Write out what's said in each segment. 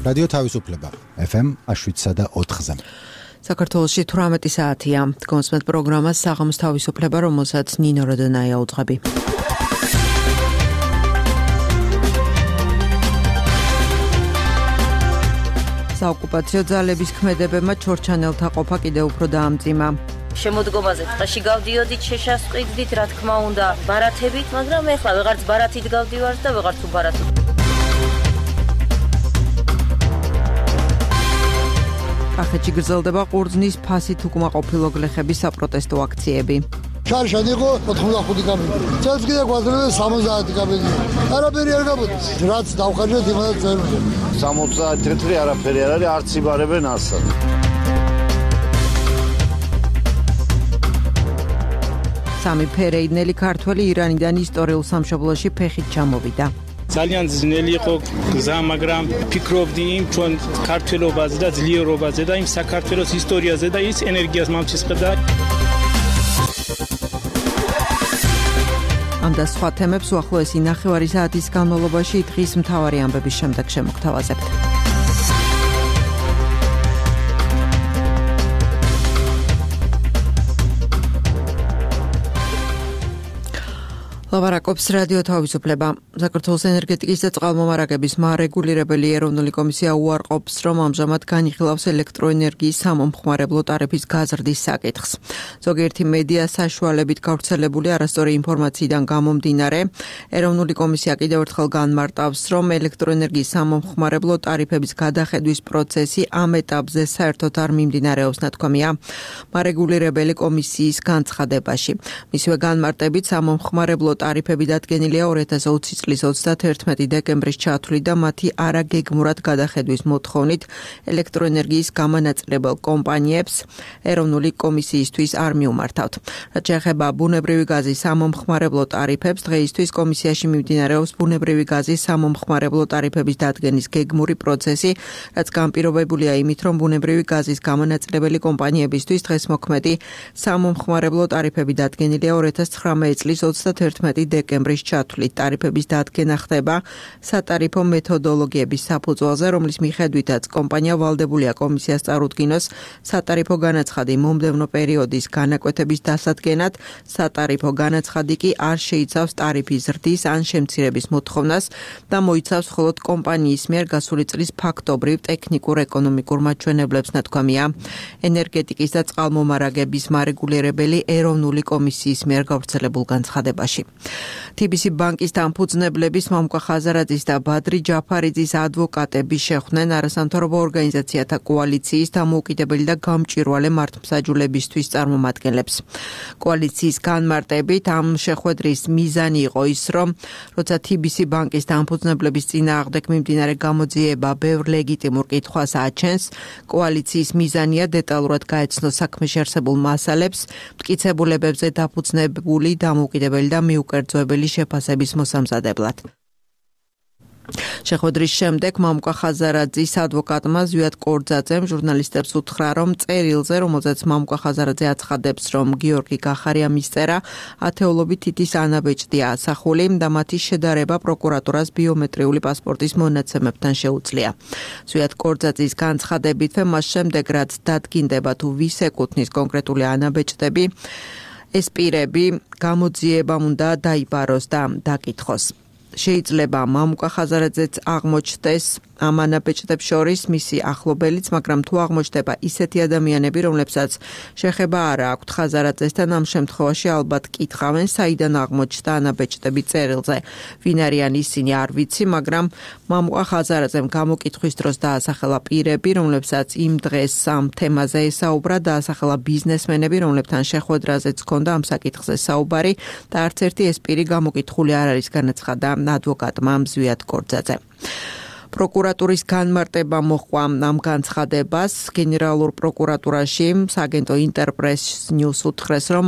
რადიო თავისუფლება FM 7.4-ზე. საქართველოში 18 საათია. კონსმეთ პროგრამას საღამოს თავისუფლება, რომელსაც ნინო როდონაია უძღვები. საოკუპაციო ძალების ქმედებებმა ჩორჩანელთა ყოფა კიდევ უფრო დაამძიმა. შემოდგომაზე ტყეში გავდიოდით, შეშასყიდით, რა თქმა უნდა, ბარათებით, მაგრამ ეხლა ვეღარც ბარათით გავდივართ და ვეღარც უბარათით. კახეთში გრძელდება ყურძნის ფასით უკმაყოფილო გლეხების საპროტესტო აქციები. შარშან იყო 85 კაბინეტი. წელს კიდე გვაძლევდა 70 კაბინეტი. არაფერი არ გამოდის. რაც დავხარჯეთ იმასაც ვერ უნდა. 60 თეთრი არაფერი არ არის, არც იბარებენ ასად. სამი ფერეიდნელი ქართველი ირანიდან ისტორიულ სამშობლოში ფეხით ჩამოვიდა. ძალიან ძნელი იყო გზა, მაგრამ ფიქრობდი იმ ჩვენ ქართველობაზე და ძლიერობაზე და იმ საქართველოს ისტორიაზე და ის ენერგიას მომცისყდა. ამ და სხვა თემებს უახლოესი ნახევარი საათის განმავლობაში დღის მთავარი ამბების შემდეგ შემოგთავაზებთ. ლაპარაკობს რადიო თავისუფლება. საქართველოს ენერგეტიკის და წყალმომარაგების მარეგულირებელი ეროვნული კომისია უარყოფს, რომ ამჟამად განიხილავს ელექტროენერგიის სამომხმარებლო ტარიფის გაზრდის საკითხს. ზოგიერთი მედია საშუალებით გავრცელებული არასწორი ინფორმაციიდან გამომდინარე, ეროვნული კომისია კიდევ ერთხელ განმარტავს, რომ ელექტროენერგიის სამომხმარებლო ტარიფების გადახედვის პროცესი ამ ეტაპზე საერთოდ არ მიმდინარეობს, ნათქვამია მარეგულირებელი კომისიის განცხადებაში. მისივე განმარტებით სამომხმარებლო ტარიფები დადგენილია 2020 წლის 31 დეკემბრის ჩათვლით და მათი არაგეგმურად გადახედვის მოთხოვნით ელექტროენერგიის გამანაწილებელ კომპანიებს ეროვნული კომისიისთვის არ მიუმართავთ. რაც შეეხება ბუნებრივი გაზის სამომხმარებლო ტარიფებს, დღეისთვის კომისიაში მიმდინარეობს ბუნებრივი გაზის სამომხმარებლო ტარიფების დადგენის გეგმური პროცესი, რაც განპირობებულია იმით, რომ ბუნებრივი გაზის გამანაწილებელი კომპანიებისთვის დღეს მოქმედი სამომხმარებლო ტარიფები დადგენილია 2019 წლის 31 დეკემბრის ჩათვლით. ტარიფების დადგენა ხდება სატარიფო მეთოდოლოგიების საფუძველზე, რომლის მიხედვითაც კომპანია ვალდებულია კომისიას წარუდგინოს სატარიფო განაცხადი მომდევნო პერიოდის განაკვეთების დასადგენად. სატარიფო განაცხადი კი არ შეიცავს ტარიფის ზრდის ან შემცირების მოთხოვნას და მოიცავს მხოლოდ კომპანიის მიერ გასული წლის ფაქტობრივ ტექნიკურ-ეკონომიკურ მაჩვენებლებს, ნათქვამია ენერგეტიკის და წყალმომარაგების მარეგულირებელი ეროვნული კომისიის მიერ გავრცელებულ განცხადებაში. TBC ბანკის დამფუძნებლების მამუკა ხაზარაძის და ბადრი ჯაფარიძის ადვოკატები შეხვდნენ არასამთავრობო ორგანიზაციათა კოალიციის დამოუკიდებელი და გამჭვირვალე მართლმსაჯულებისთვის წარმომადგენლებს. კოალიციის განმარტებით ამ შეხვედრის მიზანი იყო ის, რომ როცა TBC ბანკის დამფუძნებლების წინააღმდეგ მიმდინარე გამოძიება ბევრ ლეგიტიმურ კითხვას აჩენს, კოალიციის მიზანია დეტალურად გაეცნოს საქმეში არსებულ მასალებს, მტკიცებულებებზე დაფუძნებული დამოუკიდებელი და მიუკერძოებელი შეფასების მოსამზადებლად. შეხვედრის შემდეგ მამუკა ხაზარაძის ადვოკატმა ზვიად კორძაძემ ჟურნალისტებს უთხრა, რომ წერილზე, რომელზეც მამუკა ხაზარაძე აცხადებს, რომ გიორგი გახარია მისწერა, ათეულობით თითის ანაბეჭდია ასახული და მათი შედარება პროკურატურას ბიომეტრიული პასპორტის მონაცემებთან შეუძლია. ზვიად კორძაძის განცხადებით, მას შემდეგ რაც დადგინდება თუ ვის ეკუთვნის კონკრეტული ანაბეჭდები, ეს პირები გამოძიებამ უნდა დაიბაროს და დაკითხოს. შეიძლება მამუკა ხაზარაძეც აღმოჩნდეს ამ ანაბეჭდებს შორის მისი ახლობელიც, მაგრამ თუ აღმოჩნდება ისეთი ადამიანები, რომლებსაც შეხება არ აქვთ ხაზარაძესთან, ამ შემთხვევაში ალბათ კითხავენ, საიდან აღმოჩნდა ანაბეჭდები წერილზე. ვინ არიან ისინი არ ვიცი, მაგრამ მამუკა ხაზარაძემ გამოკითხვის დროს დაასახელა პირები, რომლებსაც იმ დღეს ამ თემაზე ესაუბრა, დაასახელა ბიზნესმენები, რომლებთან შეხვედრაზეც ჰქონდა ამ საკითხზე საუბარი და არც ერთი ეს პირი გამოკითხული არ არის, განაცხადა ადვოკატმა ზვიად კორძაძე. პროკურატურის განმარტება მოჰყვა ამ განცხადებას. გენერალურ პროკურატურაში სააგენტო ინტერპრეს ნიუს უთხრეს, რომ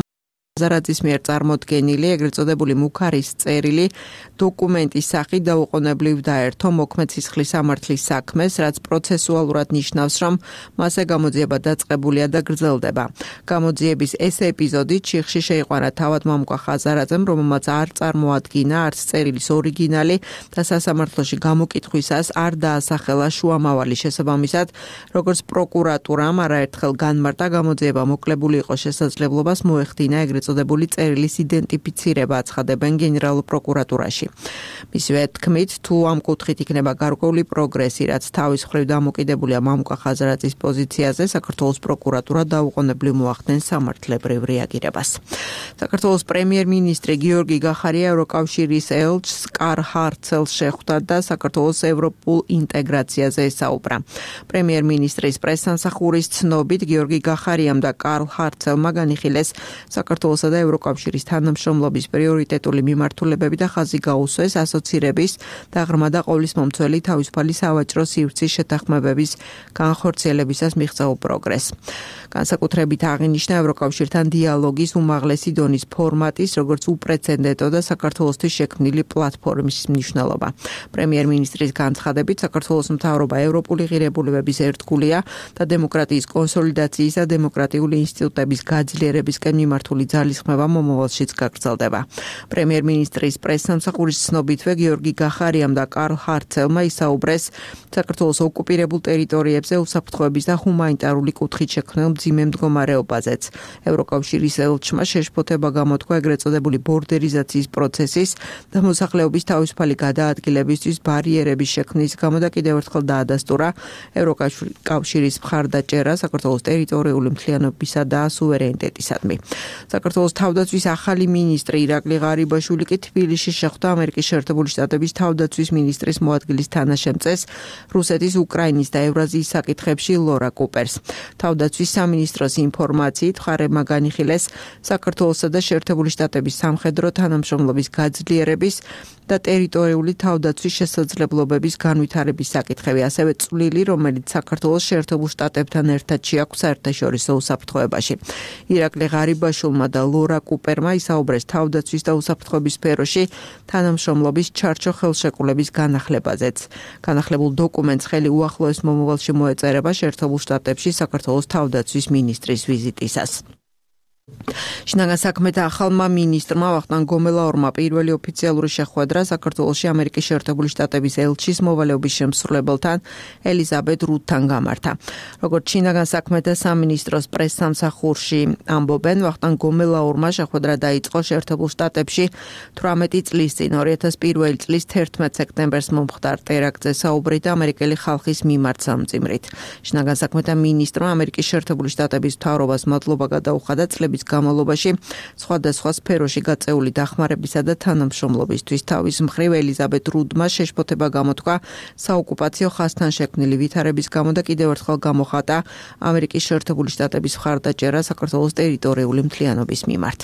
ხაზარაძის მიერ წარმოდგენილი ეგრეთ წოდებული მუქარის წერილი დოკუმენტის სახით დაუყოვნებლივ დაერთო მოქმედ სისხლის სამართლის საქმეს, რაც პროცესუალურად ნიშნავს, რომ მასზე გამოძიება დაწყებულია და გრძელდება. გამოძიების ეს ეპიზოდი ჩიხში შეიყვანა თავად მამუკა ხაზარაძემ, რომელმაც არ წარმოადგინა არც წერილის ორიგინალი და სასამართლოში გამოკითხვისას არ დაასახელა შუამავალი შესაბამისად, როგორც პროკურატურამ არაერთხელ განმარტა გამოძიება მოკლებული იყო შესაძლებლობას მოეხდინა ეგრეთ წოდებული წერილის იდენტიფიცირება აცხადებენ გენერალურ პროკურატურაში. მისივე თქმით, თუ ამ კუთხით იქნება გარკვეული პროგრესი, რაც თავის მხრივ დამოკიდებულია მამუკა ხაზარაძის პოზიციაზე, საქართველოს პროკურატურა დაუყოვნებლივ მოახდენს სამართლებრივ რეაგირებას. საქართველოს პრემიერ-მინისტრი გიორგი გახარია ევროკავშირის ელჩს კარლ ჰარცელს შეხვდა და საქართველოს ევროპულ ინტეგრაციაზე ესაუბრა. პრემიერ-მინისტრის პრესსამსახურის ცნობით გიორგი გახარიამ და კარლ ჰარცელმა განიხილეს საქართველოსა და ევროკავშირის თანამშრომლობის პრიორიტეტული მიმართულებები და ხაზი გაუსვეს ასოცირების და ღრმა და ყოვლისმომცველი თავისუფალი სავაჭრო სივრცის შეთანხმებების განხორციელებისას მიღწეულ პროგრესს. განსაკუთრებით აღინიშნა ევროკავშირთან დიალოგის უმაღლესი დონის ფორმატის, როგორც უპრეცედენტო და საქართველოსთვის შექმნილი პლატფორმის მნიშვნელობა. პრემიერ-მინისტრის განცხადებით, საქართველოს მთავრობა ევროპული ღირებულებების ერთგულია და დემოკრატიის კონსოლიდაციის და დემოკრატიული ინსტიტუტების გაძლიერებისკენ მიმართული ძალისხმევა მომავალშიც გაგრძელდება. პრემიერ-მინისტრის პრესსამსახურის ცნობითვე გიორგი გახარიამ და კარლ ჰარცელმა ისაუბრეს საქართველოს ოკუპირებულ ტერიტორიებზე უსაფრთხოების და ჰუმანიტარული კუთხით შექმნილ მძიმე მდგომარეობაზეც. ევროკავშირის ელჩმა შეშფოთება გამოთქვა ეგრეთ წოდებული ბორდერიზაციის პროცესის და მოსახლეობის თავისუფალი გადაადგილებისთვის ბარიერების შექმნის გამო და კიდევ ერთხელ დაადასტურა ევროკავშირის მხარდაჭერა საქართველოს ტერიტორიული მთლიანობისა და სუვერენიტეტისადმი. საქართველოს თავდაცვის ახალი მინისტრი ირაკლი ღარიბაშვილი კი თბილისში შეხვდა ამერიკის შეერთებული შტატების თავდაცვის მინისტრის მოადგილის თანაშემწეს, რუსეთის, უკრაინის და ევრაზიის საკითხებში ლორა კუპერს. თავდაცვის სამინისტროს ინფორმაციით მხარებმა განიხილეს საქართველოსა და შეერთებული შტატების სამხედრო თანამშრომლობის გაძლიერების და ტერიტორიული თავდაცვის შესაძლებლობების განვითარების საკითხები, ასევე წვლილი, რომელიც საქართველოს შეერთებულ შტატებთან ერთად შეაქვს საერთაშორისო უსაფრთხოებაში. ირაკლი ღარიბაშვილმა და ლორა კუპერმა ისაუბრეს თავდაცვის და უსაფრთხოების სფეროში თანამშრომლობის ჩარჩო ხელშეკრულების განახლებაზეც. განახლებულ დოკუმენტს ხელი უახლოეს მომავალში მოეწერება შეერთებულ შტატებში საქართველოს თავდაცვის მინისტრის ვიზიტისას. შინაგან საქმეთა ახალმა მინისტრმა ვახტანგ გომელაურმა პირველი ოფიციალური შეხვედრა საქართველოში ამერიკის შეერთებული შტატების ელჩის მოვალეობის შემსრულებელთან ელიზაბეთ რუდთან გამართა. როგორც შინაგან საქმეთა სამინისტროს პრესსამსახურში ამბობენ, ვახტანგ გომელაურმა შეხვედრა დაიწყო შეერთებულ შტატებში 18 წლის წინ 2001 წლის 11 სექტემბერს მომხდარ ტერაქტზე საუბრით და ამერიკელი ხალხის მიმართ სამძიმრით. შინაგან საქმეთა მინისტრმა ამერიკის შეერთებული შტატების მთავრობას მადლობა გადაუხადა წლების განმავლობაში სხვადასხვა სფეროში გაწეული დახმარებისა და თანამშრომლობისთვის. თავის მხრივ ელიზაბეთ რუდმა შეშფოთება გამოთქვა საოკუპაციო ხაზთან შექმნილი ვითარების გამო და კიდევ ერთხელ გამოხატა ამერიკის შეერთებული შტატების მხარდაჭერა საქართველოს ტერიტორიული მთლიანობის მიმართ.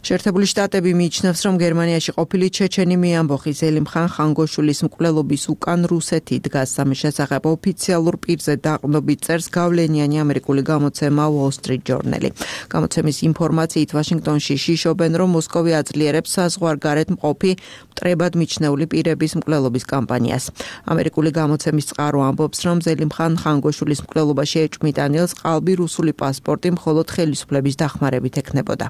შეერთებული შტატები მიიჩნევს, რომ გერმანიაში ყოფილი ჩეჩენი მეამბოხი ზელიმხან ხანგოშვილის მკვლელობის უკან რუსეთი დგას. ამის შესახებ ოფიციალურ პირზე დაყრდნობით წერს გავლენიანი ამერიკული გამოცემა Wall Street Journal. გამოცემის ინფორმაციით ვაშინგტონში შიშობენ, რომ მოსკოვი აძლიერებს საზღვარგარეთ მყოფი მტრებად მიჩნეული პირების მკვლელობის კამპანიას. ამერიკული გამოცემის წყარო ამბობს, რომ ზელიმხან ხანგოშვილის მკვლელობაში ეჭვმიტანილს ყალბი რუსული პასპორტი მხოლოდ ხელისუფლების დახმარებით ექნებოდა.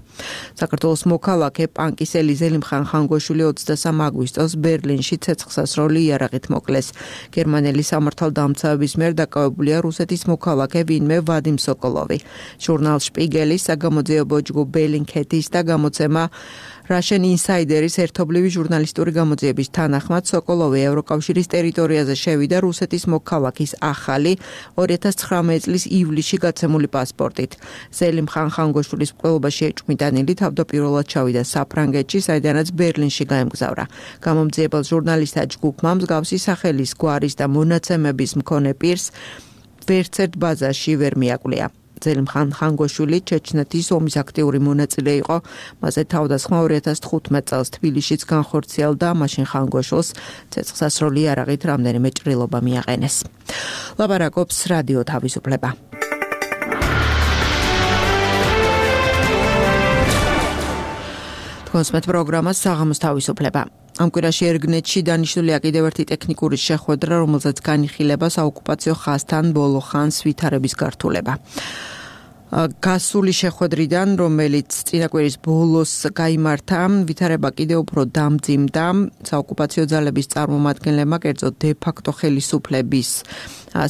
საქართველოს მოქალაქე პანკისელი ზელიმხან ხანგოშვილი 23 აგვისტოს ბერლინში ცეცხლსასროლი იარაღით მოკლეს. გერმანელი სამართალდამცავების მიერ დაკავებულია რუსეთის მოქალაქე ვინმე ვადიმ სოკოლოვი. ჟურნალ შპიგელის საგამოძიებო ჯგუფ ბელინკეთის და გამოცემა Russian Insider-ის ერთობლივი ჟურნალისტური გამოძიების თანახმად სოკოლოვი ევროკავშირის ტერიტორიაზე შევიდა რუსეთის მოქალაქის ახალი 2019 წლის ივლისში გაცემული პასპორტით. ზელიმხან ხანგოშვილის მკვლელობაში ეჭვმიტანილი თავდაპირველად ჩავიდა საფრანგეთში, საიდანაც ბერლინში გაემგზავრა. გამომძიებელ ჟურნალისტთა ჯგუფმა მსგავსი სახელის გვარის და მონაცემების მქონე პირს ვერცერთ ბაზარში ვერ მიაკვლია. ზელიმხან ხანგოშვილი ჩეჩნეთის ომის აქტიური მონაწილე იყო. მასზე თავდასხმა 2015 წელს თბილისშიც განხორციელდა, მაშინ ხანგოშვილს ცეცხლსასროლი იარაღით რამდენიმე ჭრილობა მიაყენეს. ლაპარაკობს რადიო თავისუფლება. გონსმეთ პროგრამას საღამოს თავისუფლება. Am კვირაში ერგნეთში დანიშნულია კიდევ ერთი ტექნიკური შეხვედრა, რომელზეც განიხილება საოკუპაციო ხაზთან ბოლო ხანს ვითარების გართულება. გასული შეხვედრიდან, რომელიც წინა კვირის ბოლოს გაიმართა, ვითარება კიდევ უფრო დამძიმდა. საოკუპაციო ძალების წარმომადგენლებმა, კერძოდ დე-ფაქტო ხელისუფლების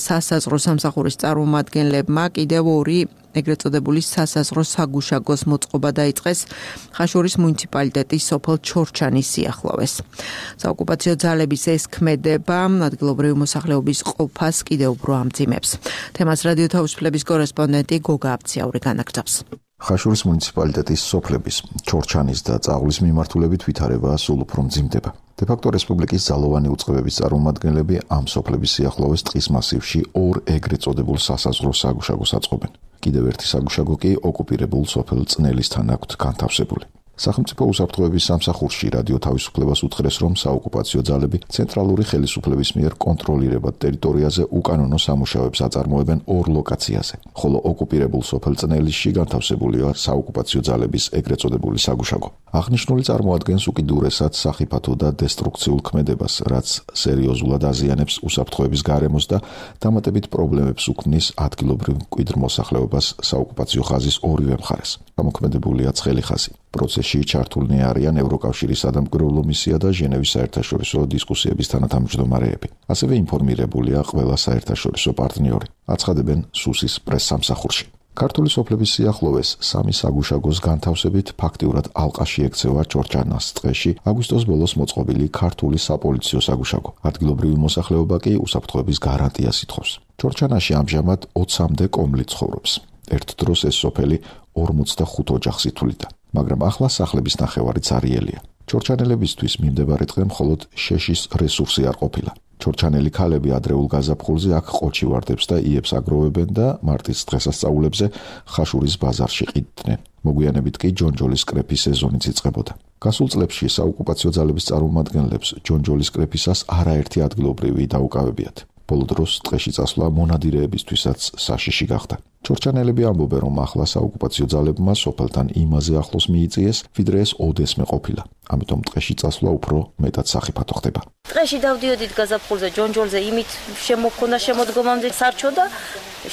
სასაზღვრო სამსახურის წარმომადგენლებმა კიდევ ორი ეგრეთ წოდებული სასაზღვრო საგუშაგოს მოწყობა დაიწყეს ხაშურის მუნიციპალიტეტის სოფელ ჩორჩანის სიახლოვეს. საოკუპაციო ძალების ეს ქმედება ადგილობრივი მოსახლეობის ყოფას კიდევ უფრო ამძიმებს. თემას რადიო თავისუფლების კორესპონდენტი გოგა აბციაური განაგრძობს. ხაშურის მუნიციპალიტეტის სოფლების ჩორჩანის და წაღვლის მიმართულებით ვითარება სულ უფრო მძიმდება. დე-ფაქტო რესპუბლიკის ძალოვანი უწყებების წარმომადგენლები ამ სოფლების სიახლოვეს ტყის მასივში ორ ეგრეთ წოდებულ სასაზღვრო საგუშაგოს აწყობენ. კიდევ ერთი საგუშაგო კი ოკუპირებულ სოფელ წნელისთან აქვთ განთავსებული. სახელმწიფო უსაფრთხოების სამსახურში რადიო თავისუფლებას უთხრეს, რომ საოკუპაციო ძალები ცენტრალური ხელისუფლების მიერ კონტროლირებად ტერიტორიაზე უკანონო სამუშაოებს აწარმოებენ ორ ლოკაციაზე, ხოლო ოკუპირებულ სოფელ წნელისში განთავსებულია საოკუპაციო ძალების ეგრეთ წოდებული საგუშაგო. აღნიშნული წარმოადგენს უკიდურესად სახიფათო და დესტრუქციულ ქმედებას, რაც სერიოზულად აზიანებს უსაფრთხოების გარემოს და დამატებით პრობლემებს უქმნის ადგილობრივ მკვიდრ მოსახლეობას საოკუპაციო ხაზის ორივე მხარეს. გამოქმედებულია ცხელი ხაზი. პროცესში ჩართულნი არიან ევროკავშირის სადამკვირვებლო მისია და ჟენევის საერთაშორისო დისკუსიების თანათავმჯდომარეები. ასევე ინფორმირებულია ყველა საერთაშორისო პარტნიორი. აცხადებენ სუსის პრესსამსახურში. ქართული სოფლების სიახლოვეს სამი საგუშაგოს განთავსებით ფაქტიურად ალყაში ექცევა ჩორჩანას ტყეში აგვისტოს ბოლოს მოწყობილი ქართული საპოლიციო საგუშაგო. ადგილობრივი მოსახლეობა კი უსაფრთხოების გარანტიას ითხოვს. ჩორჩანაში ამჟამად 20-მდე კომლი ცხოვრობს. ერთ დროს ეს სოფელი 45 ოჯახს ითვლიდა. მაგრამ ახლა სახლების ნახევარი ძარიელია. ჩორჩანელებისთვის მიმდებარე დღე მხოლოდ შეშის რესურსი არ ყოფილა. ჩორჩანელი ქალები ადრეულ გაზაფხულზე აქ ყოჩი ვარდებს და იებს აგროვებენ და მარტის დღესასწაულებზე ხაშურის ბაზარში ყიდდნენ. მოგვიანებით კი ჯონჯოლის კრეფის სეზონიც იწყებოდა. გასულ წლებში საოკუპაციო ძალების წარმომადგენლებს ჯონჯოლის კრეფისას არაერთი ადგილობრივი დაუკავებიათ. ბოლო დროს ტყეში წასვლა მონადირეებისთვისაც საშიში გახდა. ჩორჩანელები ამბობენ, რომ ახლა საოკუპაციო ძალებმა სოფელთან იმაზე ახლოს მიიწიეს, ვიდრე ეს ოდესმე ყოფილა. ამიტომ ტყეში წასვლა უფრო მეტად სახიფათო ხდება. ტყეში დავდიოდით გაზაფხულზე ჯონჯოლზე იმით შემოქონდა შემოდგომამდე სარჩოდა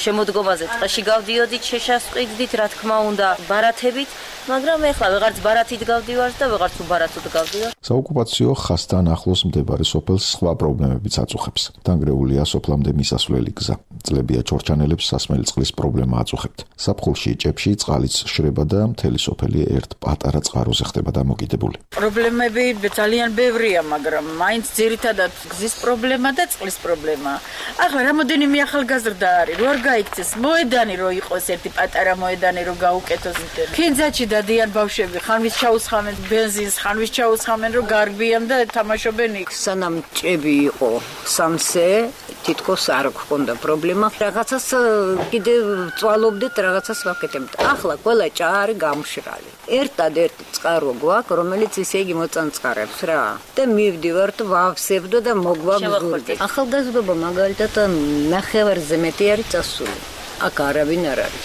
შემოდგომაზე ტყეში გავდიოდით შეშასყიდით რა თქმა უნდა ბარათებით მაგრამ ეხლა ვეღარც ბარათით გავდივართ და ვეღარც უბარათოდ გავდივართ. საოკუპაციო ხაზთან ახლოს მდებარე სოფელს სხვა პრობლემებიც აწუხებს. დანგრეულია სოფლამდე მისასვლელი გზა. წლებია ჩორჩანელებს სასმელი წყლის პრობლემა აწუხებთ. საფხულში ჭებში წყალიც შრება და მთელი სოფელი ერთ პატარა წყაროზე ხდება დამოკიდებული. პრობლემები ძალიან ბევრია, მაგრამ მაინც ძირითადად გზის პრობლემა და წყლის პრობლემა. ახლა რამოდენიმე ახალგაზრდა არის, რო არ გაიქცეს მოედანი რო იყოს ერთი პატარა მოედანი რო გაუკეთოს. ფინძაში დადიან ბავშვები, ხანვის ჩაუსხამენ ბენზინს, ხანვის ჩაუსხამენ რო გარბიან და თამაშობენ იქ. სანამ ჭები იყო სამსე, თითქოს არ გქონდა პრობლემა. რაღაცას კიდე წვალობდეთ, რაღაცას ვაკეთებთ. ახლა ყველა ჭარი გამშრალი. ერთადერთი წყარო გვაქვს, რომელიც ისე იგი მოწანწყარებს რა. და მივდივართ, ვავსებდო და მოგვაგზავნებთ. ახალგაზრდობა მაგალითად ნახევარზე მეტი არის წასული. აქ არავინ არ არის.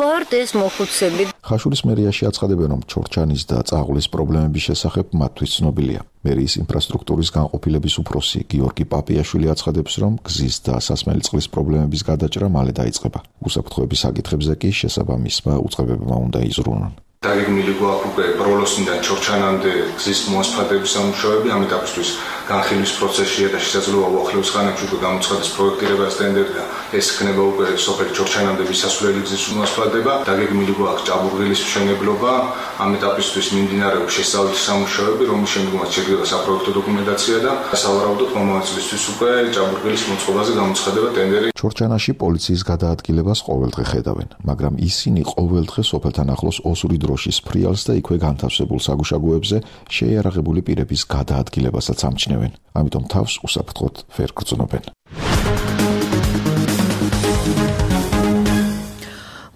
ვართ ეს მოხუცები. ხაშურის მერიაში აცხადებენ, რომ ჩორჩანის და წაღვლის პრობლემების შესახებ მათთვის ცნობილია. მერიის ინფრასტრუქტურის განყოფილების უფროსი გიორგი პაპიაშვილი აცხადებს, რომ გზის და სასმელი წყლის პრობლემების გადაჭრა მალე დაიწყება. უსაფრთხოების საკითხებზე კი შესაბამისმა უწყებებმა უნდა იზრუნონ. დაგეგმილი გვაქვს უკვე ბროლოსნიდან ჩორჩანამდე გზის მოსფადების სამუშაოები, ამ ეტაპისთვის განხილვის პროცესშია და შესაძლოა უახლოეს ხანებში უკვე გამოცხადეს პროექტირებას ტენდერი და ეს ხდება უკვე სოფელი ჩორჩანამდე მისასვლელი გზის მოსფადება. დაგეგმილი გვაქვს ჭაბურღილის მშენებლობა, ამ ეტაპისთვის მიმდინარეობს შესწავლის სამუშაოები, რომლის შემდგომაც შედგება საპროექტო დოკუმენტაცია და სავარაუდოდ მომავალ წლისთვის უკვე ჭაბურღილის მოწყობაზე გამოცხადება ტენდერი. ჩორჩანაში პოლიციის გადაადგილებას ყოველდღე ხედავენ, მაგრამ ისინი ყოველდღე სოფელთან ახლოს ოსური დროშის ფრიალს და იქვე განთავსებულ საგუშაგოებზე შეიარაღებული პირების გადაადგილებასაც ამჩნევენ. ამიტომ თავს უსაფრთხოდ ვერ გრძნობენ.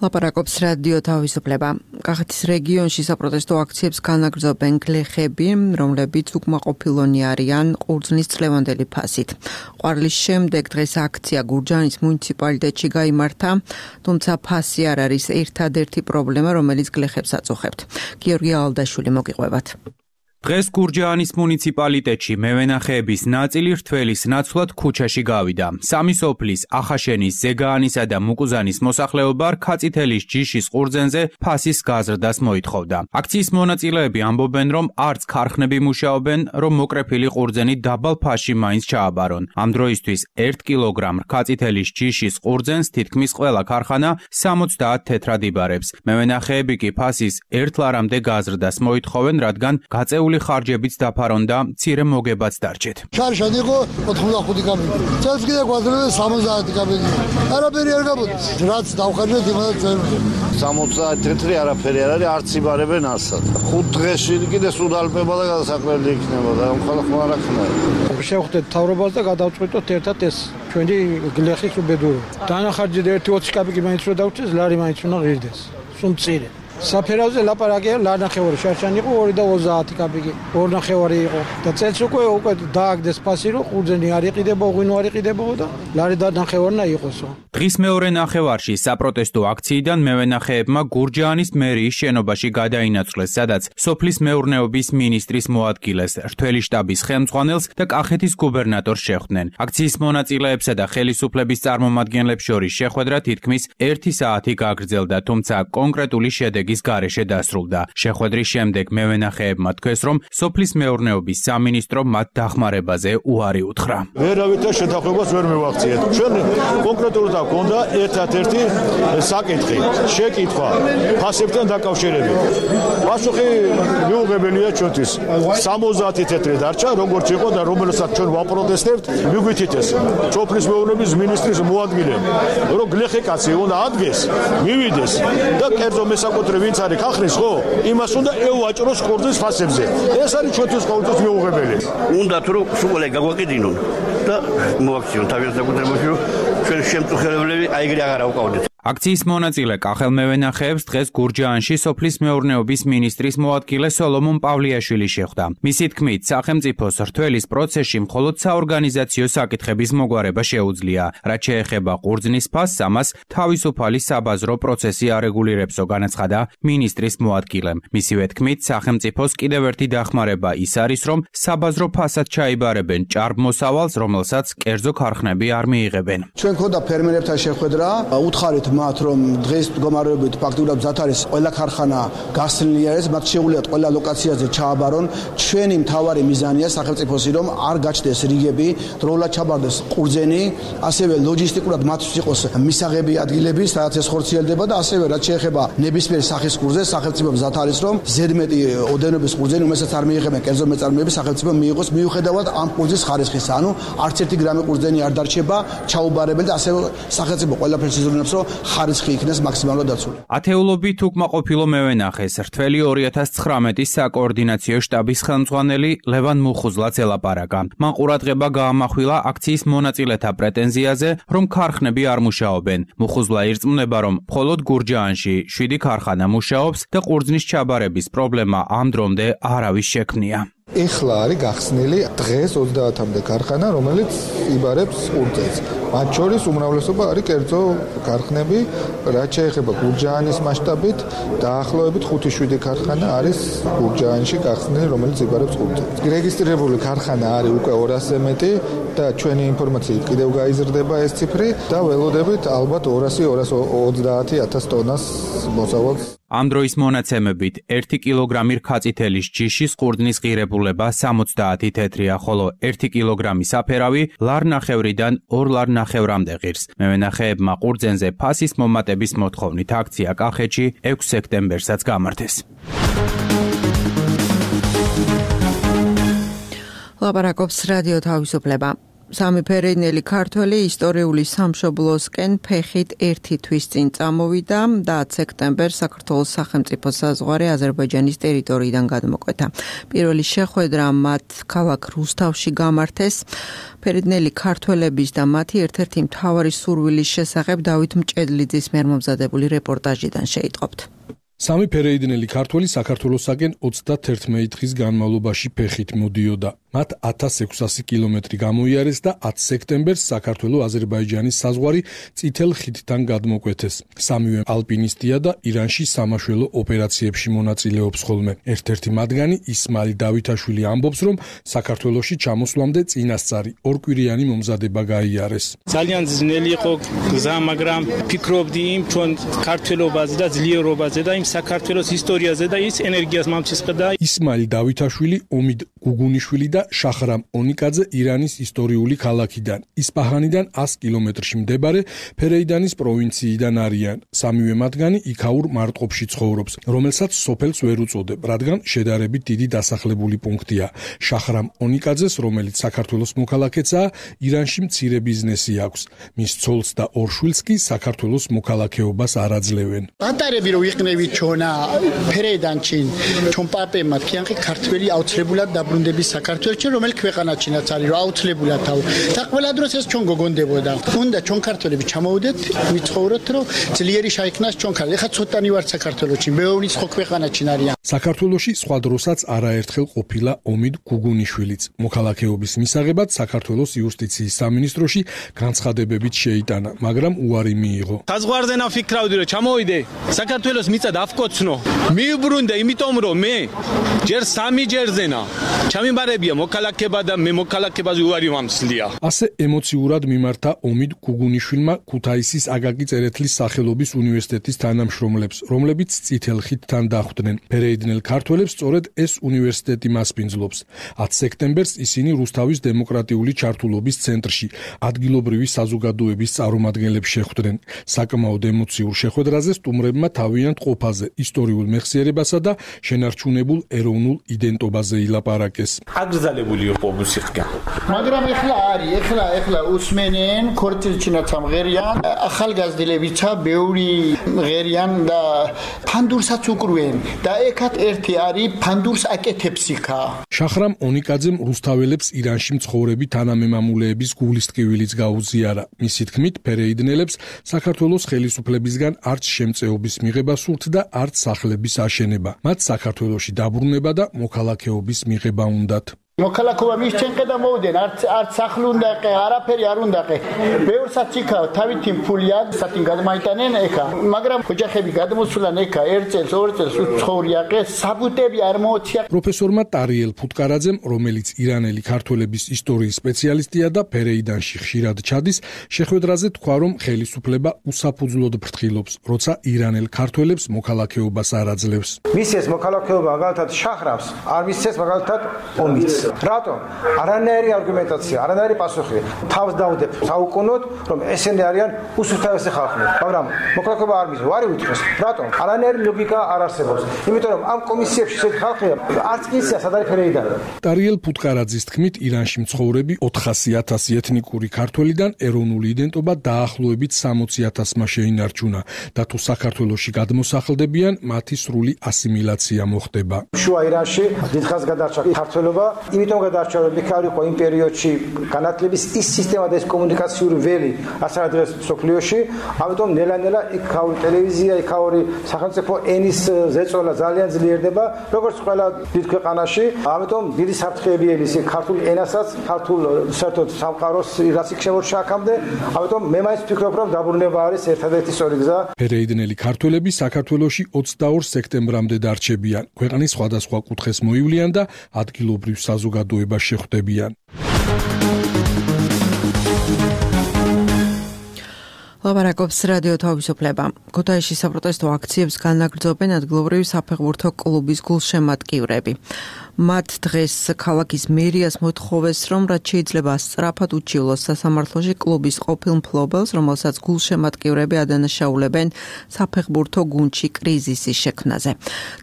ლაპარაკობს რადიო თავისუფლება. კახეთის რეგიონში საპროტესტო აქციებს განაგრძობენ გლეხები, რომლებიც უკმაყოფილონი არიან ყურძნის წლევანდელი ფასით. ყვარლის შემდეგ დღეს აქცია გურჯაანის მუნიციპალიტეტში გაიმართა, თუმცა ფასი არ არის ერთადერთი პრობლემა, რომელიც გლეხებს აწუხებთ. გიორგი ალდაშვილი მოგიყვებათ. დღეს გურჯაანის მუნიციპალიტეტში მევენახეების ნაწილი რთველის ნაცვლად ქუჩაში გავიდა. სამი სოფლის ახაშენის, ზეგაანისა და მუკუზანის მოსახლეობა რქაწითელის ჯიშის ყურძენზე ფასის გაზრდას მოითხოვდა. აქციის მონაწილეები ამბობენ, რომ არც ქარხნები მუშაობენ, რომ მოკრეფილი ყურძენი დაბალ ფასში მაინც ჩააბარონ. ამ დროისთვის 1 კილოგრამ რქაწითელის ჯიშის ყურძენს თითქმის ყველა ქარხანა 70 თეთრად იბარებს. მევენახეები კი ფასის 1 ლარამდე გაზრდას მოითხოვენ, რადგან გაწეული ხარჯებიც დაფარონდა, მცირე მოგებაც დარჩეთ. შარშან იყო 85 კაბინეტი. წელს კიდე გვაძლევენ 70 კაბინეტი. არაფერი არ გამოდის. რაც დავხარჯეთ იმასაც წერმე. 70 თეთრი არაფერი არ არის, არც იბარებენ ასად. 5 დღეში კიდე სუდალპება და გადასაკვირდი იქნება და ხალხმა არ აქვს. შევხვდეთ თავრობას და გადავწყვიტოთ ერთად ეს ჩვენი გლეხის უბედური. დანახარჯეთ 1.20 კაპიკი მაინც რო დავჭეს, ლარი მაინც უნდა ღირდეს. სუმწირე. საფერავზე ლაპარაკია ლარნახევარი შარშანი იყო 2.30 კაპიკი 2 ნახევარი იყო და წელს უკვე დააგდეს ფასი რომ ყურძენი არ იყიდება, ღვინო არ იყიდებოდა და ლარი და ნახევარნა იყოსო. დღის მეორე ნახევარში საპროტესტო აქციიდან მევენახეებმა გურჯაანის მერიის შენობაში გადაინაცვლეს, სადაც სოფლის მეურნეობის მინისტრის მოადგილეს, რთველი შტაბის ხელმძღვანელს და კახეთის გუბერნატორს შეხვდნენ. აქციის მონაწილეებსა და ხელისუფლების წარმომადგენლებს შორის შეხვედრა თითქმის 1 საათი გაგრძელდა, თუმცა კონკრეტული შედეგი გარეშე დასრულდა. შეხვედრის შემდეგ მევენახეებმა თქვეს, რომ სოფლის მეურნეობის სამინისტრო მათ დახმარებაზე უარი უთხრა. ვერავითარ შეთანხმებას ვერ მივახციეთ. ჩვენ კონკრეტულად გვქონდა ერთადერთი საკითხი, შეკითხვა ფასებთან დაკავშირებით. პასუხი მიუღებელია ჩვენთვის. 70 თეთრი დარჩა, როგორც იყო და რომელსაც ჩვენ ვაპროტესტებთ, მიგვითით ეს სოფლის მეურნეობის მინისტრის მოადგილემ, რომ გლეხი კაცი უნდა ადგეს, მივიდეს და კერძო მესაკუთრე ვინც არის ხახრის ხო? იმას უნდა ევაჭროს ყურძნის ფასებზე. ეს არის ჩვენთვის ყოველთვის მიუღებელი. უნდა თუ სულ გაგვაკიდინონ და მოაქციონ თავის საკუთრებაში, რომ ჩვენ შემწუხებლები აიგრე აღარ ავყავდეთ. აქციის მონაწილე კახელმევენახეებს დღეს გურჯაანში სოფლის მეურნეობის მინისტრის მოადგილე სოლომონ პავლიაშვილი შეხვდა. მისი თქმით, სახელმწიფოს რთველის პროცესში მხოლოდ საორგანიზაციო საკითხების მოგვარება შეუძლია. რაც შეეხება ყურძნის ფასს, ამას თავისუფალი საბაზრო პროცესი არეგულირებსო, განაცხადა მინისტრის მოადგილემ. მისივე თქმით, სახელმწიფოს კიდევ ერთი დახმარება ის არის, რომ საბაზრო ფასად ჩაიბარებენ ჭარბმოსავალს, რომელსაც კერძო ქარხნები არ მიიღებენ. ჩვენ ქონდა ფერმერებთან შეხვედრა, უთხარით მათ რომ დღეს მდგომარეობით ფაქტურად მზად არის ყველა ქარხანა გასცლილი არის, მათ შეუძლიათ ყველა ლოკაციაზე ჩააბარონ. ჩვენი მთავარი მიზანია სახელმწიფოსი რომ არ გაჩნდეს რიგები, დროულად ჩაბარდეს ყურძენი, ასევე ლოჯისტიკურად მათთვის იყოს მისაღები ადგილები, სადაც ეს ხორციელდება და ასევე რაც შეეხება ნებისმიერ სახის ყურძენს, სახელმწიფო მზად არის რომ ზედმეტი ოდენობის ყურძენი, რომელსაც არ მიიღებენ კერძო მეწარმეები, სახელმწიფო მიიღოს მიუხედავად ამ ყურძნის ხარისხისა. ანუ არც ერთი გრამი ყურძენი არ დარჩება ჩაუბარებელი და ასევე სახელმწიფო ყველაფერს იზრუნებს რომ ხარისხი იქნეს მაქსიმალურად დაცული. ათეულობით უკმაყოფილო მევენახეს რთველი 2019 საკოორდინაციო შტაბის ხელმძღვანელი ლევან მუხუზლაც ელაპარაკა. მან ყურადღება გაამახვილა აქციის მონაწილეთა პრეტენზიაზე, რომ ქარხნები არ მუშაობენ. მუხუზლა ირწმუნება, რომ მხოლოდ გურჯაანში 7 ქარხანა მუშაობს და ყურძნის ჩაბარების პრობლემა ამ დრომდე არავის შექმნია. ეხლა არის გახსნილი დღეს 30-მდე ქარხანა, რომელიც იბარებს ყურძენს. მათ შორის უმრავლესობა არის კერძო ქარხნები, რაც შეეხება გურჯაანის მასშტაბით, დაახლოებით 5-7 ქარხანა არის გურჯაანში გახსნილი, რომელიც იბარებს ყურძენს. რეგისტრირებული ქარხანა არის უკვე 200-ზე მეტი და ჩვენი ინფორმაციით კიდევ გაიზრდება ეს ციფრი და ველოდებით ალბათ 200-230 ტონას მოსავალს. ამ დროის მონაცემებით 1 კილოგრამი რქაწითელის ჯიშის ყურძნის ღირებულება 70 თეთრია, ხოლო 1 კილოგრამი საფერავი ლარნახევრიდან 2 ლარნახევრამდე ღირს. მევენახეებმა ყურძენზე ფასის მომატების მოთხოვნით აქცია კახეთში 6 სექტემბერსაც გამართეს. ლაპარაკობს რადიო თავისუფლება. სამი ფერენელი ქართველი ისტორიული სამშობლოსკენ ფეხით 1 თვის წინ წამოვიდა და 10 სექტემბერს საქართველოს სახელმწიფო საზღვარი აზერბაიჯანის ტერიტორიიდან გადმოკვეთა. პირველი შეხვედრა მათ ქალაქ რუსთავში გამართეს. ფერენელი ქართველების და მათი ერთ-ერთი მთავარი სურვილის შესახებ დავით მჭედლიძის მიერ მომზადებული რეპორტაჟიდან შეიტყობთ. სამი ფერეიდნელი ქართველი საქართველოსაკენ 31 დღის განმავლობაში ფეხით მოდიოდა. მათ 1600 კილომეტრი გამოიარეს და 10 სექტემბერს საქართველო-აზერბაიჯანის საზღვარი წითელ ხიდთან გადმოკვეთეს. სამივე ალპინისტია და ირანში სამაშველო ოპერაციებში მონაწილეობს ხოლმე. ერთ-ერთი მათგანი ისმაილ დავითაშვილი ამბობს, რომ საქართველოში ჩამოსვლამდე წინასწარი ორკვირიანი მომზადება გაიარეს. ძალიან ძნელი იყო გზა, მაგრამ ფიქრობდი იმ ჩვენ ქართველობაზე და ძლიერობაზე და იმ საქართველოს ისტორიაზე და ის ენერგიას მომწესყდა. ისმაილ დავითაშვილი, ომიდ გუგუნიშვილი და შახრამ ონიკაძე ირანის ისტორიული ქალაქიდან, ისპაჰანიდან 100 კილომეტრში მდებარე ფერეიდანის პროვინციიდან არიან. სამივე მათგანი იქაურ მარტყოფში ცხოვრობს, რომელსაც სოფელს ვერ უწოდებ, რადგან შედარებით დიდი დასახლებული პუნქტია. შახრამ ონიკაძეს, რომელიც საქართველოს მოქალაქეცაა, ირანში მცირე ბიზნესი აქვს. მის ცოლს და ორ შვილს კი საქართველოს მოქალაქეობას არ აძლევენ. ატარები რო იყნევით ჩვენა ფერეიდანში, ჩვენ პაპებმა თქვენ ქართველი აუცილებლად დაბრუნდების საქართველოში, რომელიც ქვეყანაშიც არის, რომ აუცილებლად თავ. და ყველა დროს ეს ჩვენ გოგონდებოდა. უნდა ჩვენ ქართველები ჩამოვიდეთ, ვიცხოვროთ, რომ ძლიერი შეიქმნას ჩვენ ქართველი. ეხლა ცოტანი ვარ საქართველოში, მეოვნიც ხო ქვეყანაში არიან. საქართველოში სხვა დროსაც არაერთხელ ყოფილა ომიდ გუგუნიშვილიც. მოქალაქეობის მისაღებად საქართველოს იუსტიციის სამინისტროში განცხადებებით შეიტანა, მაგრამ უარი მიიღო. საზღვარზე ნაფიქრავდი რომ ჩამოვიდე, საქართველოს მიწა დავკოცნო. მიუბრუნდე, იმიტომ რომ მე ჯერ 3 ჯერზენა ჩამიმარებია მოქალაქეობა და მე მოქალაქეობაზე უარი ვამსლია. ასე ემოციურად მიმართა ომიდ გუგუნიშვილმა ქუთაისის აკაკი წერეთლის სახელობის უნივერსიტეტის თანამშრომლებს, რომლებიც წითელ ხიდთან დახვდნენ. ფერეიდნელ ქართველებს სწორედ ეს უნივერსიტეტი მასპინძლობს. 10 სექტემბერს ისინი რუსთავის დემოკრატიული ჩართულობის ცენტრში ადგილობრივი საზოგადოების წარმომადგენლებს შეხვდნენ. საკმაოდ ემოციურ შეხვედრაზე სტუმრებმა თავიანთ ყოფაზე, ისტორიულ მეხსიერებასა და შენარჩუნებულ ეროვნულ იდენტობაზე ილაპარაკეს. აგზალებული იყო მუსიკა. მაგრამ ეხლა უსმენენ ქორწილჩინაც ამღერიან, ახალგაზრდებიცა ბევრი ღერიან და ფანდურსაც უკრუენ და ეკათ ერთი არის ფანდურს აკეთებს იქა. შახრამ ონიკაძემ რუსთაველებს ირანში მცხოვრები თანამემამულეების გულისტკივილიც გაუზიარა. მისი თქმით, ფერეიდნელებს საქართველოს ხელისუფლებისგან არც შემწეობის მიღება სურთ და არც სახლების აშენება. მათ საქართველოში დაბრუნება და მოქალაქეობის მიღება უნდათ. მოქალაქეობა მისჩენყე და მოვიდნენ, არც სახლი უნდა ყე, არაფერი არ უნდა ყე. ბევრსაც იქა თავითი ფულია, სათინ გადმაიტანენ ეხა, მაგრამ ოჯახები გადმოსულან ეხა 1 წელს, 2 წელს უცხოური აყე, საბუთები არ მოუწია. პროფესორმა ტარიელ ფუტკარაძემ, რომელიც ირანელი ქართველების ისტორიის სპეციალისტია და ფერეიდანში ხშირად ჩადის, შეხვედრაზე თქვა, რომ ხელისუფლება უსაფუძვლოდ ფრთხილობს, როცა ირანელ ქართველებს მოქალაქეობას არ აძლევს. მისცეს მოქალაქეობა მაგალითად შახრამს, არ მისცეს მაგალითად ომიც. რატომ? არანაირი არგუმენტაცია, არანაირი პასუხი. თავს დავდებ საუკუნოდ, რომ ესენი არიან უსუფთავესი ხალხი, მაგრამ მოქალაქეობა არ მისცეს. ვარი ვითხრეს. რატომ? არანაირი ლოგიკა არ არსებობს. იმიტომ რომ ამ კომისიებში ესეთი ხალხია, არც კისია სადარი ფერეიდანი. ტარიელ ფუტკარაძის თქმით, ირანში მცხოვრები 400,000 ეთნიკური ქართველიდან ეროვნული იდენტობა დაახლოებით 60,000-მა შეინარჩუნა და თუ საქართველოში გადმოსახლდებიან, მათი სრული ასიმილაცია მოხდება. შუა ირანში დიდხანს გადარჩა ქართველობა. იმიტომ გადარჩა რომ იქ არ იყო იმ პერიოდში განათლების ის სისტემა და ეს კომუნიკაციური ველი ასარა დღეს მსოფლიოში, ამიტომ ნელა-ნელა იქაური ტელევიზია, იქაური სახელმწიფო ენის ზეწოლა ძალიან ძლიერდება, როგორც ყველა დიდ ქვეყანაში, ამიტომ დიდი საფრთხეები ელის ქართულ ენასაც, ქართულ საერთოდ სამყაროს რაც იქ შემორჩა აქამდე, ამიტომ მე მაინც ვფიქრობ რომ დაბრუნება არის ერთადერთი სწორი გზა. ფერეიდნელი ქართველები საქართველოში 22 სექტემბრამდე დარჩებიან. ქვეყნის სხვადასხვა კუთხეს მოივლიან და ადგილობრივ საზოგადოებას შეხვდებიან. ლაპარაკობს რადიო თავისუფლება. ქუთაისში საპროტესტო აქციებს განაგრძობენ ადგილობრივი საფეხბურთო კლუბის გულშემატკივრები. მათ დღეს ქალაქის მერიას მოთხოვეს, რომ რაც შეიძლება სწრაფად უჩივლოს სასამართლოში კლუბის ყოფილ მფლობელს, რომელსაც გულშემატკივრები ადანაშაულებენ საფეხბურთო გუნდში კრიზისის შექმნაზე.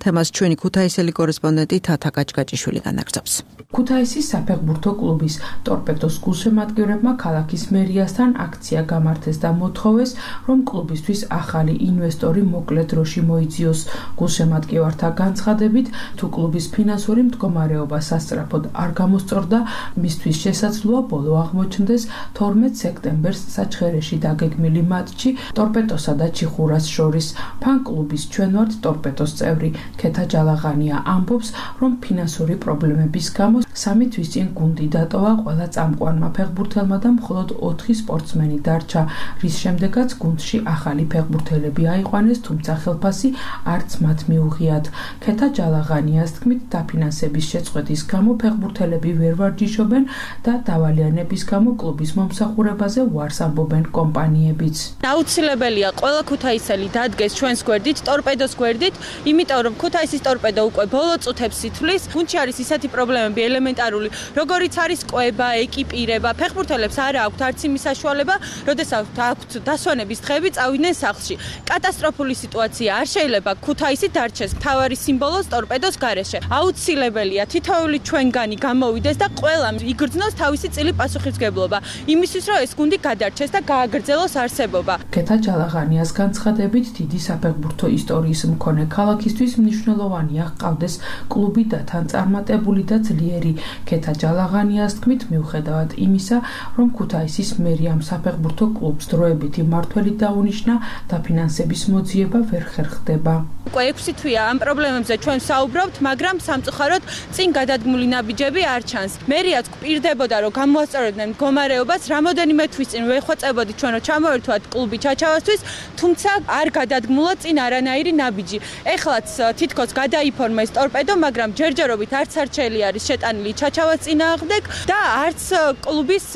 თემას ჩვენი ქუთაისელი კორესპონდენტი თათა კაჭკაჭიშვილი განაგრძობს. ქუთაისის საფეხბურთო კლუბის ტორპედოს გულშემატკივრებმა ქალაქის მერიასთან აქცია გამართეს და მოთხოვეს, რომ კლუბისთვის ახალი ინვესტორი მოკლე დროში მოიძიოს. გულშემატკივართა განცხადებით, თუ კლუბის ფინანსური მდგომარეობა სასწრაფოდ არ გამოსწორდა, მისთვის შესაძლოა ბოლო აღმოჩნდეს 12 სექტემბერს საჩხერეში დაგეგმილი მატჩი ტორპედოსა და ჩიხურას შორის. ფან-კლუბის ჩვენ ვართ ტორპედოს წევრი ქეთა ჯალაღანია ამბობს, რომ ფინანსური პრობლემების გამო 3 თვის წინ გუნდი დატოვა ყველა წამყვანმა ფეხბურთელმა და მხოლოდ 4 სპორტსმენი დარჩა, რის შემდეგაც გუნდში ახალი ფეხბურთელები აიყვანეს, თუმცა ხელფასი არც მათ მიუღიათ. ქეთა ჯალაღანიას თქმით, დაფინანსების შეწყვეტის გამო ფეხბურთელები ვერ ვარჯიშობენ და დავალიანების გამო კლუბის მომსახურებაზე უარს ამბობენ კომპანიებიც. აუცილებელია ყველა ქუთაისელი დადგეს ჩვენს გვერდით, ტორპედოს გვერდით, იმიტომ რომ ქუთაისის ტორპედო უკვე ბოლო წუთებს ითვლის. გუნდში არის ისეთი პრობლემები ელემენტარული, როგორიც არის კვება, ეკიპირება. ფეხბურთელებს არ აქვთ არც იმის საშუალება, როდესაც აქვთ დასვენების დღეები წავიდნენ სახლში. კატასტროფული სიტუაცია არ შეიძლება ქუთაისი დარჩეს მთავარი სიმბოლოს ტორპედოს გარეშე. აუცილებელია თითოეული ჩვენგანი გამოვიდეს და ყველამ იგრძნოს თავისი წილი პასუხისმგებლობა იმისთვის, რომ ეს გუნდი გადარჩეს და გააგრძელოს არსებობა. ქეთა ჯალაღანიას განცხადებით, დიდი საფეხბურთო ისტორიის მქონე ქალაქისთვის მნიშვნელოვანია ჰყავდეს კლუბი და თან წარმატებული და ძლიერი. ქეთა ჯალაღანიას თქმით, მიუხედავად იმისა, რომ ქუთაისის მერიამ საფეხბურთო კლუბს დროებითი მმართველი დაუნიშნა, დაფინანსების მოძიება ვერ ხერხდება. უკვე 6 თვეა ამ პრობლემებზე ჩვენ საუბრობთ, მაგრამ სამწუხაროდ წინ გადადგმული ნაბიჯები არ ჩანს. მერიაც გვპირდებოდა, რომ გამოასწორებდნენ მდგომარეობას, რამოდენიმე თვის წინ ვეხვეწებოდით ჩვენ, რომ ჩამოერთვათ კლუბი ჩაჩავასთვის, თუმცა არ გადადგმულა წინ არანაირი ნაბიჯი. ეხლაც თითქოს გადაიფორმეს ტორპედო, მაგრამ ჯერჯერობით არც არჩელი არის შეტანილი ჩაჩავას წინააღმდეგ და არც კლუბის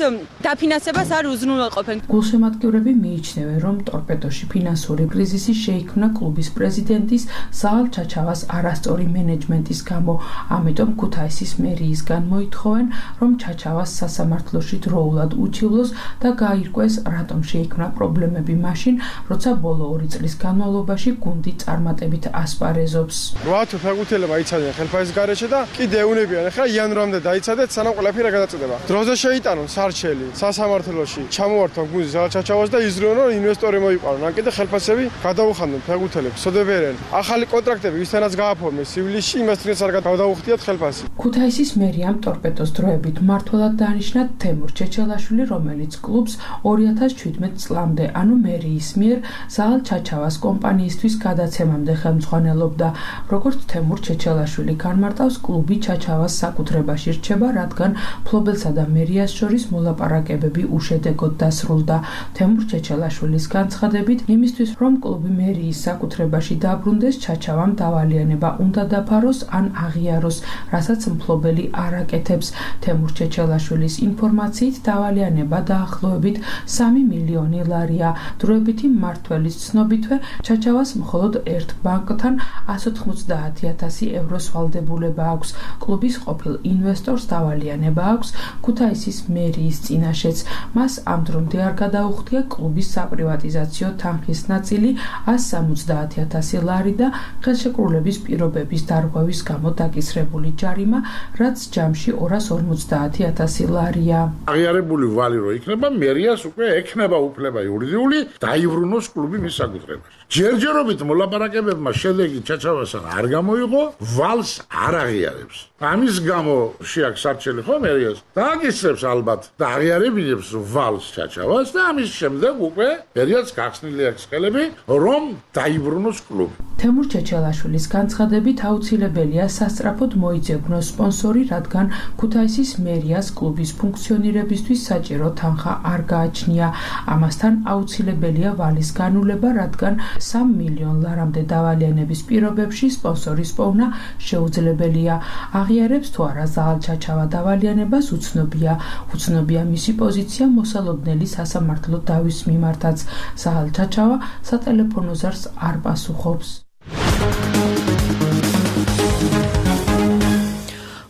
დაფინანსებას არ უზრუნველყოფენ. გულშემატკივრები მიიჩნევენ, რომ ტორპედოში ფინანსური კრიზისი შეიქმნა კლუბის პრეზიდენტის ზაალ ჩაჩავას არასწორი მენეჯმენტის გამო. ამიტომ ქუთაისის მერიისგან მოითხოვენ, რომ ჩაჩავას სასამართლოში დროულად უჩივლოს და გაირკვეს, რატომ შეიქმნა პრობლემები მაშინ, როცა ბოლო 2 წლის განმავლობაში გუნდი წარმატებით ასპარეზობს. 8 ფეხბურთელებმა იცადნენ ხელფასის გარეშე და კიდე ეუნებიან, ახლა იანვრამდე დაიცადეთ, სანამ ყველაფერი გადაწყვეტება. დროზე შეიტანონ სარჩელი სასამართლოში, ჩამოვართონ გუნდის ზაალ ჩაჩავას და იზრუნონ, რომ ინვესტორი მოიყვანონ. ან კიდე ხელფასები გადაუხანდონ ფეხბურთელებს, სოდებერენ. ახალი კონტრაქტები ვისთანაც გააფორმეს ივლისში, იმასთანაც არ გადაუხდიათ ხელფასი. ქუთაისის მერიამ ტორპედოს დროებით მმართველად დაანიშნა თემურ ჩეჩელაშვილი, რომელიც კლუბს 2017 წლამდე, ანუ მერიის მიერ ზაალ ჩაჩავას კომპანიისთვის გადაცემამდე ხელმძღვანელობდა. როგორც თემურ ჩეჩელაშვილი განმარტავს, კლუბი ჩაჩავას საკუთრებაში რჩება, რადგან ფლობელსა და მერიას შორის მოლაპარაკებები უშედეგოდ დასრულდა. თემურ ჩეჩელაშვილის განცხადებით, იმისთვის, რომ კლუბი მერიის საკუთრებაში დაბრუნდეს, ჩაჩავამ დავალიანება უნდა დაფაროს ან აღიაროს, რასაც მფლობელი არ აკეთებს. თემურ ჩეჩელაშვილის ინფორმაციით, დავალიანება დაახლოებით 3 მილიონი ლარია. დროებითი მმართველის ცნობითვე, ჩაჩავას მხოლოდ ერთ ბანკთან 190,000 ევროს ვალდებულება აქვს. კლუბის ყოფილ ინვესტორს დავალიანება აქვს ქუთაისის მერიის წინაშეც. მას ამ დრომდე არ გადაუხდია კლუბის საპრივატიზაციო თანხის ნაწილი 170,000 ლარი და ხელშეკრულების პირობების დარღვევის გამო დაკისრებული ჯარიმა, რაც ჯამში 250,000 ლარია. აღიარებული ვალი რო იქნება, მერიას უკვე ექნება უფლება იურიდიული დაიბრუნოს კლუბი მის საკუთრებაში. ჯერჯერობით მოლაპარაკებებმა შედეგი ჩაჩავასთან არ გამოიღო, ვალს არ აღიარებს. ამის გამო შეაქვს არჩელი ხო მერიას დააგისრებს ალბათ და აღიარებინებს ვალს ჩაჩავას და ამის შემდეგ უკვე მერიას გახსნილი აქვს ხელები, რომ დაიბრუნოს კლუბი. თემურ ჩეჩელაშვილის განცხადებით, აუცილებელია სასწრაფოდ მოიძებნოს სპონსორი, რადგან ქუთაისის მერიას კლუბის ფუნქციონირებისთვის საჭირო თანხა არ გააჩნია. ამასთან აუცილებელია ვალის განულება, რადგან 3 მილიონ ლარამდე დავალიანების პირობებში სპონსორის პოვნა შეუძლებელია. აღიარებს თუ არა ზაალ ჩაჩავა დავალიანებას უცნობია. უცნობია მისი პოზიცია მოსალოდნელი სასამართლო დავის მიმართაც. ზაალ ჩაჩავა სატელეფონო ზარს არ პასუხობს.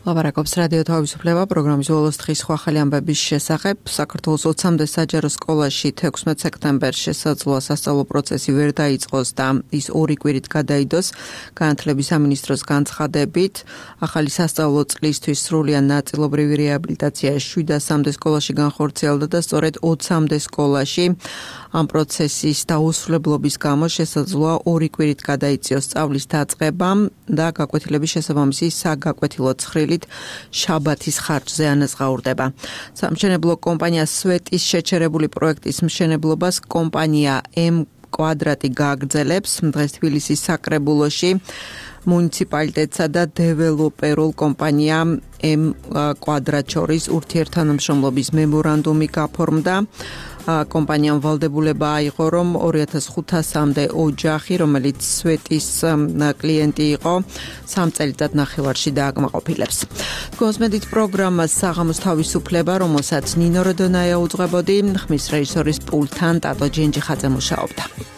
ლაპარაკობს რადიო თავისუფლება პროგრამის ბოლოს დღის სხვა ახალი ამბების შესახებ. საქართველოს 20-მდე საჯარო სკოლაში 16 სექტემბერს შესაძლოა სასწავლო პროცესი ვერ დაიწყოს და ის 2 კვირით გადაიდოს. განათლების სამინისტროს განცხადებით, ახალი სასწავლო წლისთვის სრულად ნაწილობრივი რეაბილიტაცია 700-მდე სკოლაში განხორციელდა და სწორედ 20-მდე სკოლაში ამ პროცესის დაუსრულებლობის გამო შესაძლოა 2 კვირით გადაიწიოს სწავლის დაწყება და გაკვეთილების შესაბამისი საგაკვეთილო ცხრილით შაბათის ხარჯზე ანაზღაურდება. სამშენებლო კომპანია სვეტის შეჩერებული პროექტის მშენებლობას კომპანია M კვადრატი გააგრძელებს. დღეს თბილისის საკრებულოში მუნიციპალიტეტსა და დეველოპერულ კომპანია M კვადრატ შორის ურთიერთთანამშრომლობის მემორანდუმი გაფორმდა. კომპანიამ ვალდებულება აიღო, რომ 2500-მდე ოჯახი, რომელიც სვეტის კლიენტი იყო, 3 წელიწად ნახევარში დააკმაყოფილებს. კონსმედით პროგრამას საღამოს თავისუფლება, რომელსაც ნინო როდონაია უძღვებოდი, ხმის რეჟისორის პულტთან ტატო ჯენჯიხაძე მუშაობდა.